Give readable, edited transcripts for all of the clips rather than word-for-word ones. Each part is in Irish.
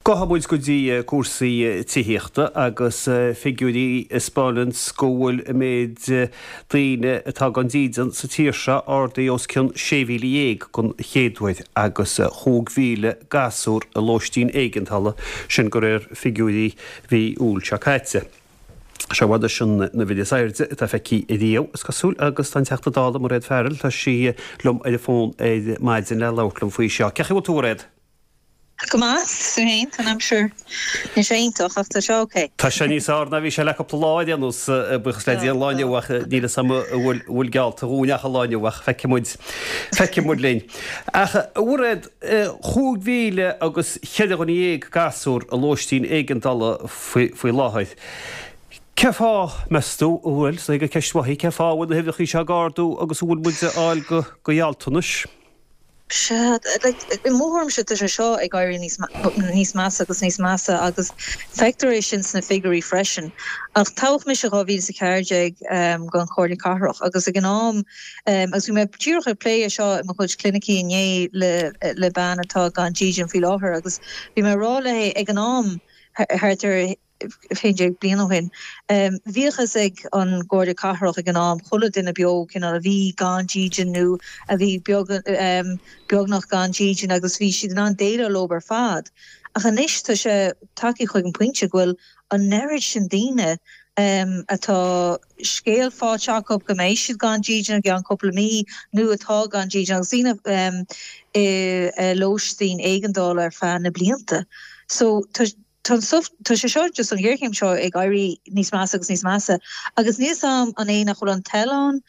Gabhfaidh muid go dtí cúrsaí tithíochta agus figiúirí a 'spáineanns go bhfuil an méid daoine atá gan dídean sa tír seo ardaithe os cionn 16,000 don chéad uair agus 5,000 gasúr i lóistín éigeandála, sin de réir figiúirí mhí Iúil seo caite. Seo i bhfad leis an uimhir is airde atá feicthe riamh, is cosúil, agus tá an Teachta Dála, Mairéad Farrell, tá sí liom ar an bhfón ar maidin le labhairt liom faoi seo. Cén chaoi a bhfuil tú, a Mhairéad? Go maith, tú féin? Tá an aimsir, níl sé iontach ach tá sé ok. Tá sé níos fearr ná bhí sé le cúpla lá ar aon nós, buíochas le Dia, an lá inniu ach níl fhios agam an bhfuil, bhfuil geallta dhúinn ach an lá inniu ach feicfidh muid, feicfidh muid linn. Ach, a Mhairéad, 5,000 agus cheithre dhuine dhéag gasúr i lóistín éigeandála faoi láthair. Cén fáth, meas tú, a bhfuil, is dóigh gur ceist mhaith í, cén fáth a bhfuil na huimhreacha seo ag ardú agus an bhfuil muid a fháil go gealltanais? Sea, like, i mo thuairimse tá sé seo ag éirí níos níos measa agus níos measa agus feictear é sin sna figiúirí freisin. Ach toghadh mise 2014 don Chomhairle Cathrach agus ag an am, agus bhí mé díreach ag plé é seo i mo chuid clinicí inné le le bean atá gan dídean faoi láthair agus bhí mé ag rá léi ag an am thart ar 11 bliain ó shin. Bhíodh fhios ag an gComhairle Cathrach ag an am chuile duine beo cineál a bhí gan dídean nó a bhí beag beagnach gan dídean agus bhí siad in ann déileáil leo ar fad. Ach anois tá sé tagtha chuig an pointe go bhfuil an oiread sin daoine atá scéal faighte acu go mbeidh siad gan dídean i gceann cúpla mí nó atá gan dídean agus daoine i lóistín éigeandála ar feadh na blianta. So tá Tá an stuif, tá sé seo, just an ghéarchéim seo ag éirí níos measa agus níos measa agus níl 's a'm an é nach bhfuil an toil ann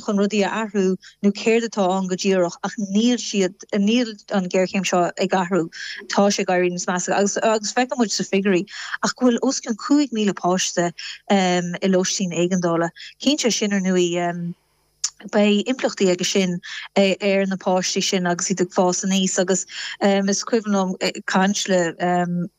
chun rudaí a athrú nó céard atá ann go díreach ach níl siad, níl an ghéarchéim seo ag athrú, tá sé ag éirí níos measa agus agus feiceann muid sna figiúirí ach go bhfuil os cionn 5,000 páiste i lóistín éigeandála. Cinnte sin ar ndóigh. Beidh impleachtaí aige sin ar na páistí sin agus iad ag fás aníos agus is cuimhin liom caint le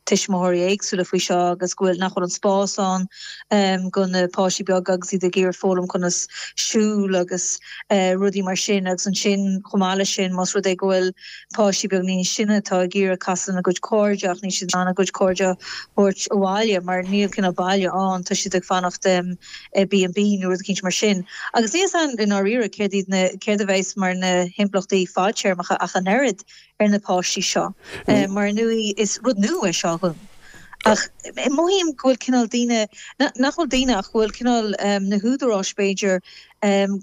tuismitheoirí éagsúla faoi seo agus go bhfuil, nach bhfuil an spás ann go na páistí beaga agus iad ag iarraidh foghlaim conas siúl agus rudaí mar sin agus ansin chomh maith leis sin más rud é go bhfuil páistí beag níos sine atá ag iarraidh casadh lena gcuid cairde ach níl siad in ann a gcuid cairde a thabhairt abhaile mar níl cineál baile ann, tá siad ag fanacht i B and B nó rud eicínt mar sin. Agus níl 'fhios a'm i ndáiríre céard iad na, céard a bheas mar na himpleachtaí fadtéarmacha ach an oiread ar na páistí seo. Mar ar ndóigh is rud nua é seo dhúinn. Ach mothaím go bhfuil cineál daoine, nach bhfuil daoine ach go bhfuil cineál na húdaráis b'fhéidir,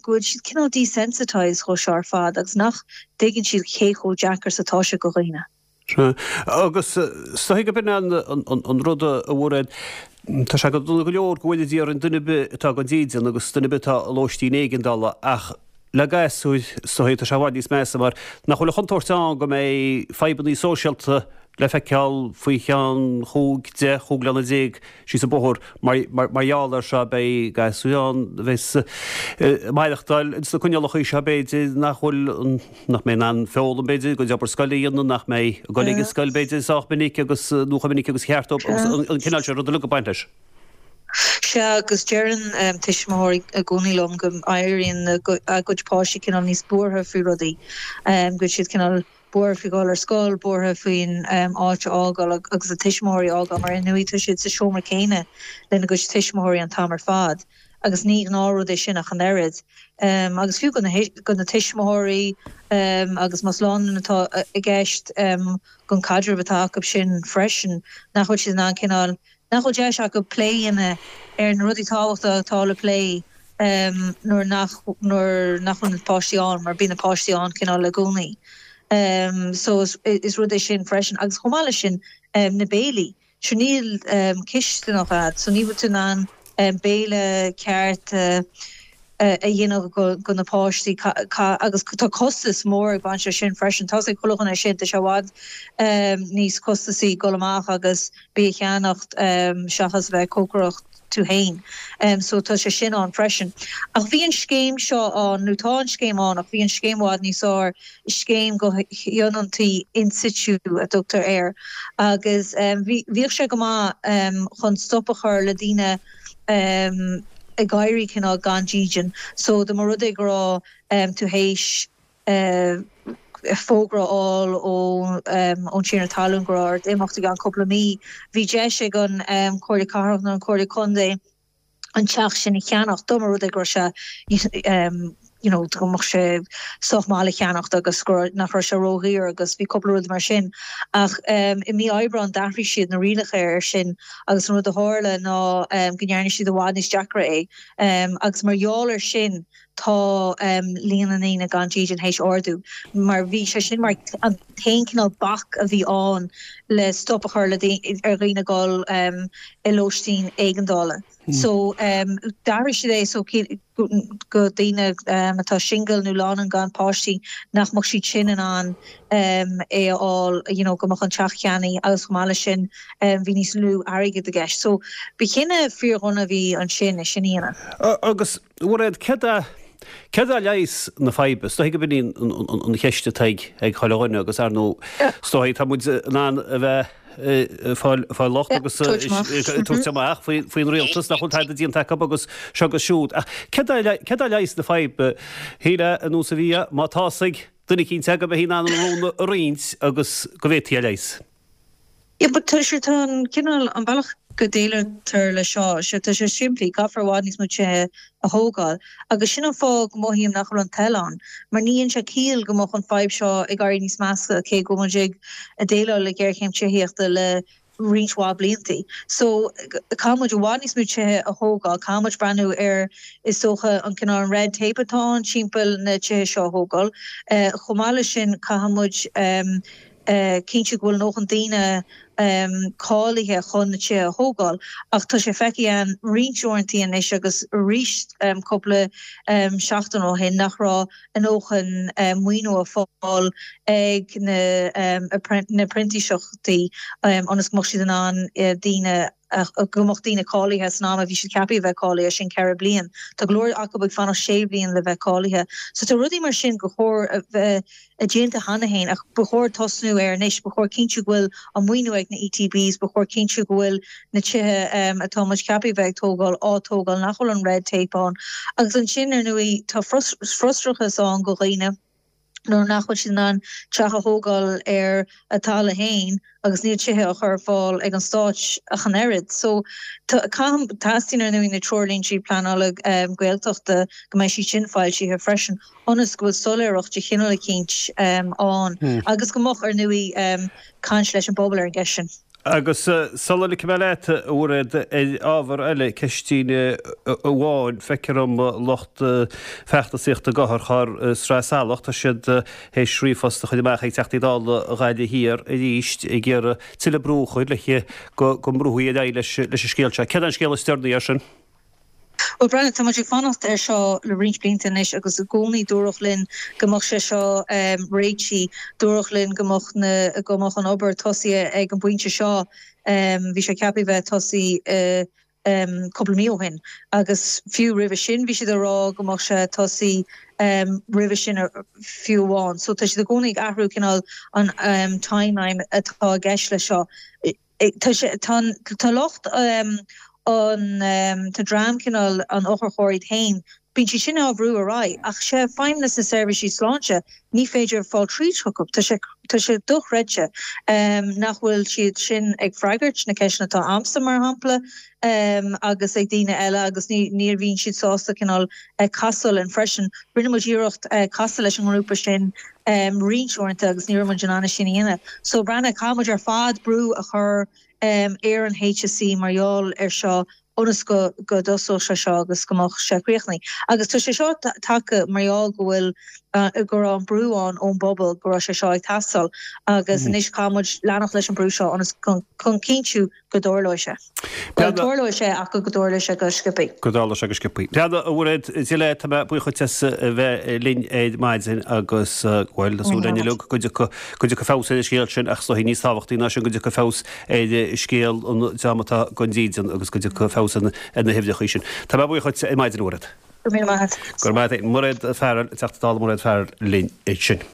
go bhfuil siad cineál desensitised dhó seo ar fad agus nach dtuigeann siad cé chomh deacair is atá sé go dhaoine. Sea. Agus is dóigh gurb in an rud a Mhairéad, tá sé go dona go leor go bhfóire Dia orainn duine ar bith atá gan dídean agus duine ar bith atá i lóistín éigeandála ach le gasúir is dóigh tá sé i bhfad níos measa mar nach bhfuil an chontúirt ann go mbeidh fadhbanna sóisialta le feiceáil faoi cheann chúig, deich, chúig bliana déag síos an bóthar mar gheall air seo. Beidh gasúir ann a bheas ag maireachtáil ins na coinníollacha seo b'fhéidir nach bhfuil an nach mbeidh in ann foghlaim, b'fhéidir, a gcuid obair scoile a dhéanamh, nach mbeidh ag dul ag an scoil, b'fhéidir, sách minic agus, nó chomh minic agus ba cheart dóibh agus an cineál sin ruda uilig ag baint leis. Sea, agus deireann tuismitheoirí i gcónaí liom go n-éiríonn a gcuid páistí cineál níos buartha faoi rudaí, go bhfuil siad cineál buartha faoi dhul ar scoil, buartha faoin áit a fhágáil agus a tuismitheoirí a fhágáil mar ar ndóigh tá siad sa seomra céanna lena gcuid tuismitheoirí an t-am ar fad. agus ní gnáthrud é sin ach an oiread. Agus fiú do na tuismitheoirí agus más lánúin atá i gceist, don caidreamh atá acu sin freisin, nach bhfuil siad in ann cineál, nach bhfuil deis acu plé a dhéanamh ar na rudaí tábhachtacha atá le plé nuair nach, nuair nach bhfuil na páistí ann, mar bíonn na páistí ann cineál i gcónaí. So is rud é sin freisin. Agus chomh maith leis sin, na béilí. Sure níl cisteanach a'd so ní bhfuil tú in ann béile ceart a dhéanamh go na páistí agus tá costas mór ag baint leis sin freisin. Tá's ag chuile dhuine sin, tá sé i bhfad níos costasaí dul amach agus bia a cheannacht seachas a bheith ag cócaireacht tú fhéin. So tá sé sin ann freisin. Ach bhí an scéim seo ann, nó tá an scéim ann ach bhí an scéim i bhfad níos fearr, scéim go thionóntaí in situ a dtugtar air agus bhíodh sé go maith chun stop a chur le daoine ag éirí cineál gan dídean. So dá mba rud é go raibh tú théis. fógra a fháil ón tiarna talún go raibh ort imeacht i gceann cúpla mí, bhí deis ag an Chomhairle Cathrach nó an Chomhairle Contae an teach sin a cheannach dá mba rud é go raibh sé you know go mbeadh sé sách maith le ceannacht agus go raibh nach raibh sé ródhaor agus bhí cúpla rud mar sin. Ach i mí Aibreáin d'athraigh siad na rialacha air sin agus an rud a tharla ná go ndearna siad i bhfad níos deacra é agus mar gheall air sin tá líon na ndaoine gan dídean théis ardú mar bhí sé sin mar an t-aon cineál bac a bhí ann le stop a chur le ar dhaoine dul i lóistín éigeandála. So d'athraigh siad é so go daoine atá singil nó lánúin gan páistí nach mbeadh siad sin in ann é a fháil you know go mbeadh an teach ceannaithe agus chomh maith leis sin bhí níos lú airgid i gceist. So ba chinneadh fíordhona a bhí ansin é sin a dhéanamh. Agus A Mhairéad, céard é, céard é leigheas na faidhbe? Is dóigh gurb in í an cheist atá ag, ag chuile dhuine agus ar ndóigh, is dóigh tá muid in ann a bheith ag fáil, fáil locht agus ag tabhairt amach faoi, faoin rialtas nach bhfuil tada déanta acu agus seo agus siúd. Ach céard é, céard é leigheas na faidhbe? Shílfeá an nós a bhí, má tá fhios ag duine eicínt go mbeifí in ann an rún a roinnt agus go bhféadfaí a leigheas. Yeah but tá sé, tá an cineál, an bealach go déileáiltear le seo, sé, tá sé simplí, caithfear i bhfad níos mó tithe a thógáil. Agus sin an fáth go mothaím nach bhfuil an toil ann, mar ní dhéanann sé ciall go mbeadh an fadhb seo ag éirí níos measa cé go bhfuil muid ag déileáil le géarchéim tithíochta le roinnt mhaith bliantaí. So, caithfidh muid i bhfad níos mó tithe a thógáil, caithfidh muid breathnú ar, is dócha, an cineál, an red tape atá ann timpeall na tithe seo a thógáil. Chomh maith leis sin, caithfidh muid, cinntiú go bhfuil a ndóthain daoine cáilithe chun na tithe a thógáil. Ach tá sé feicthe againn roinnt uaireantaí anois agus arís cúpla seachtain ó shin nach raibh a ndóthain maoiniú á fáil ag na printíseachtaí ionas go mbeadh siad in ann daoine go mbeadh daoine cáilithe san am a bhí siad ceaptha a bheith cáilithe, sin 4 bliain. Tá go leor acu ag fanacht 6 bhliain le bheith cáilithe. So tá rudaí mar sin gur chóir a bheith déanta cheana féin ach ba chóir tosnú air anois. Ba chóir cinntiú go bhfuil an maoiniú ag na ETBs, ba chóir cinntiú go bhfuil na tithe atá muid ceaptha a bheith ag tógáil á tógáil, nach bhfuil an red tape ann. Agus ansin, ar ndóigh, tá frustrachas ann go dhaoine nuair nach bhfuil siad in ann teach a thógáil ar a dtalamh féin agus níl tithe á chur ar fáil ag an stáit ach an oiread. So caithfidh, teastaíonn ar ndóigh na treoirlínte pleanála Gaeltachta go mbeidh siad sin foilsithe freisin ionas go bhfuil soiléireacht de chineál eicínt ann agus go mbeadh ar ndóigh caint leis an bpobal ar an gceist sin. Agus sula ligfidh mé leat, a Mhairéad, ar ábhar eile, ceistín amháin, feictear dom lucht feachtasaíochta d'otharcharr Sraith Salach, tá siad théis ríomhphost a chur amach ag Teachtaí Dála Ghaillimh Thiar arís ag iarraidh tuilleadh brú a chur le go go mbrúfaí ar aghaidh leis an scéal seo. Céard é an scéal is deireanaí air sin? Bhuel, Breandán, tá muid ag fanacht air seo le roinnt blianta anois agus i gcónaí dúradh linn go mbeadh sé seo réitithe, dúradh linn go mbeadh na, go mbeadh an obair tosaithe ag an bpointe seo, bhí sé ceaptha a bheith tosaithe cúpla mí ó shin agus fiú roimhe sin bhí siad ag rá go mbeadh sé tosaithe roimhe sin fiú amháin. So tá siad i gcónaí ag athrú cineál an timeline atá i gceist leis seo. Tá sé, tá an, tá lucht an, tá dream cineál an otharchairr iad féin, bíonn siad sin á bhrú ar aghaidh ach sé Feidhmeannas na Seirbhísí Sláinte, ní féidir fáil tríd chucu. Tá sé, tá sé dochreidte nach bhfuil siad sin ag freagairt na ceisteanna atá a'msa mar shampla agus ag daoine eile agus ní, ní bhíonn siad sásta cineál casadh linn freisin. Rinne muid iarracht casadh leis an ngrúpa sin roinnt uaireanta agus ní raibh muid in ann é sin a dhéanamh. So Breandán, caithfidh muid ar fad brú a chur ar an HSE mar gheall ar seo ionas go go dtosódh sé seo agus go mbeadh sé críochnaithe. Agus tá sé seo tagtha mar gheall go bhfuil go raibh an brú ann ón bpobal go raibh sé seo ag teastáil agus anois caithfidh muid leanacht leis an brú seo ionas chun cinntiú go dtarlóidh sé. Bhuel, tarlóidh sé ach go dtarlóidh sé go sciobthaí. Go dtarlóidh sé go sciobthaí. Bhuel, a Mhairéad, Dia leat, tá mé buíoch duit as a bheith linn ar maidin agus, bhuel, tá súil againn uilig go dtiocfaidh, go dtiocfaidh feabhas ar an scéal sin ach is dóichí níos tábhachtaí ná sin go dtiocfaidh feabhas ar scéal an dream atá gan dídean agus go dtiocfaidh feabhas ar na huimhreacha sin. Tá mé buíoch duit ar maidin, a Mhairéad. Go raibh míle maith agat. Go raibh maith agat. Mairéad Farrell, Teachta Dála Mairéad Farrell linn ansin.